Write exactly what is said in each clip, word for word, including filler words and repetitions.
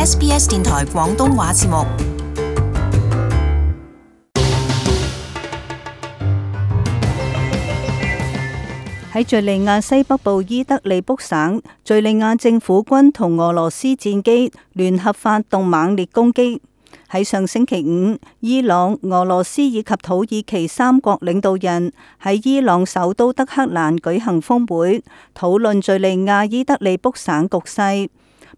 S B S 電台廣東話節目。喺敘利亞西北部伊德利卜省，敘利亞政府軍同俄羅斯戰機聯合發動猛烈攻擊。喺上星期五，伊朗、俄羅斯以及土耳其三國領導人喺伊朗首都德黑蘭舉行峰會，討論敘利亞伊德利卜省局勢。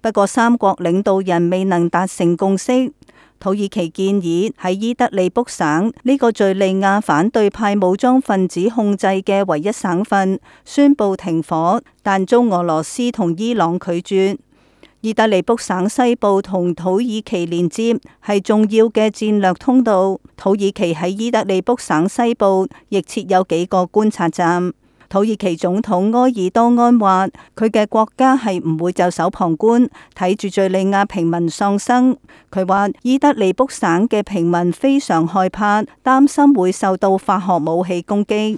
不過，三國領導人未能達成共識。土耳其建議喺伊德利卜省呢個敘利亞反對派武裝分子控制嘅唯一省份宣布停火，但遭俄羅斯同伊朗拒絕。伊德利卜省西部同土耳其連接，係重要嘅戰略通道。土耳其喺伊德利卜省西部亦設有幾個觀察站。土耳其總統埃爾多安話，佢嘅國家係唔會袖手旁觀，睇住敘利亞平民喪生。佢話伊德利卜省嘅平民非常害怕，擔心會受到化學武器攻擊。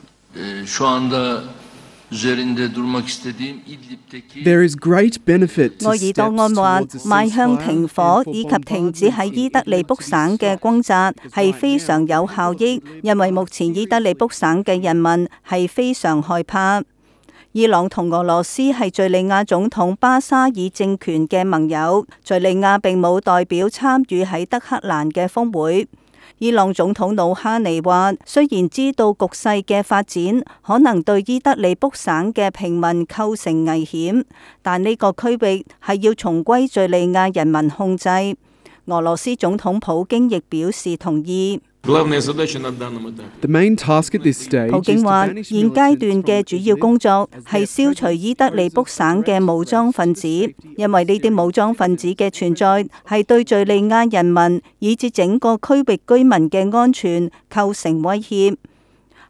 There is great benefit to 埃爾多安話，邁向停火以及停止喺伊德利卜省嘅轟炸係非常有效益，因為目前伊德利卜省嘅人民係非常害怕。伊朗同俄羅斯係敘利亞總統巴沙爾政權嘅盟友，敘利亞並冇代表參與喺德黑蘭嘅峰會。伊朗總統魯哈尼話，雖然知道局勢嘅發展可能對伊德利卜省嘅平民構成危險，但呢個區域係要重歸敘利亞人民控制。俄羅斯總統普京亦表示同意。The main task at this stage 普京話，現階段嘅主要工作係消除伊德利卜省嘅武裝分子，因為呢啲武裝分子嘅存在係對敘利亞人民以至整個區域居民嘅安全構成威脅。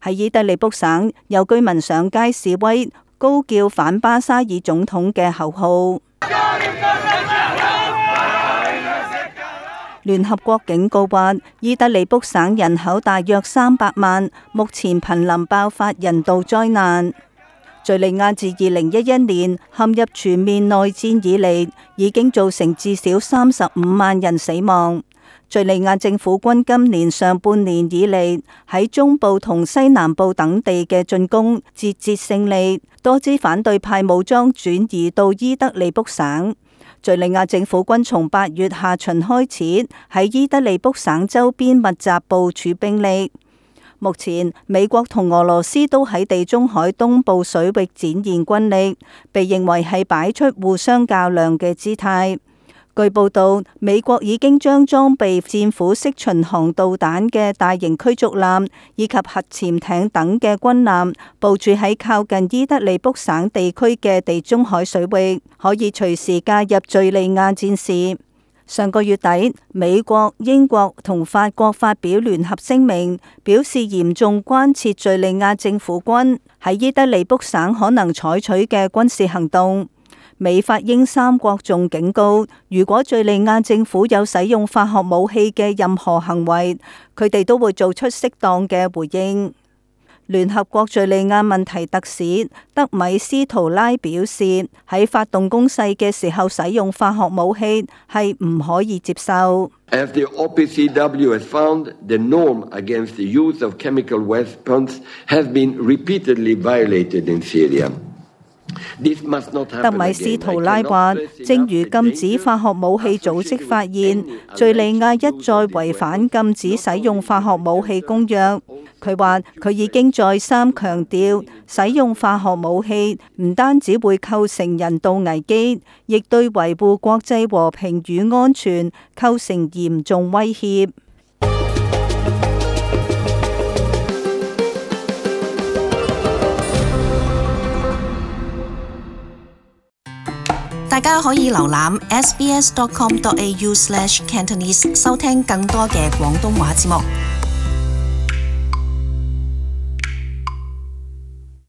喺伊德利卜省，有居民上街示威，高叫反巴沙爾總統嘅口號。聯合國警告話，伊德利卜省人口大約三百萬，目前瀕臨爆發人道災難。敘利亞自二零一一年陷入全面內戰以嚟，已經造成至少三十五萬人死亡。敘利亞政府軍今年上半年以嚟喺中部同西南部等地嘅進攻節節勝利，多支反對派武裝轉移到伊德利卜省。敘利亞政府軍從八月下旬開始喺伊德利卜省周邊密集部署兵力。目前美國同俄羅斯都喺地中海東部水域展現軍力，被認為係擺出互相較量嘅姿態。據報道，美國已經將裝備戰斧式巡航導彈嘅大型驅逐艦以及核潛艇等嘅軍艦部署喺靠近伊德利卜省地區嘅地中海水域，可以隨時介入敘利亞戰事。上個月底，美國、英國同法國發表聯合聲明，表示嚴重關切敘利亞政府軍喺伊德利卜省可能採取嘅軍事行動。美法英三國仲警告，如果敘利亞政府有使用化學武器嘅任何行為，佢哋都會做出適當嘅回應。聯合國敘利亞問題特使德米斯圖拉表示，喺發動攻勢嘅時候使用化學武器係唔可以接受。As the O P C W has found, the norm against the use of chemical weapons has been repeatedly violated in Syria.德米斯圖拉話，正如禁止化學武器組織發現，敘利亞一再違反禁止使用化學武器公約。佢話佢已經再三強調，使用化學武器唔單止會構成人道危機，亦對維護國際和平與安全構成嚴重威脅。大家可以瀏覽 s b s dot com dot a u slash cantonese 收聽更多嘅廣東話節目。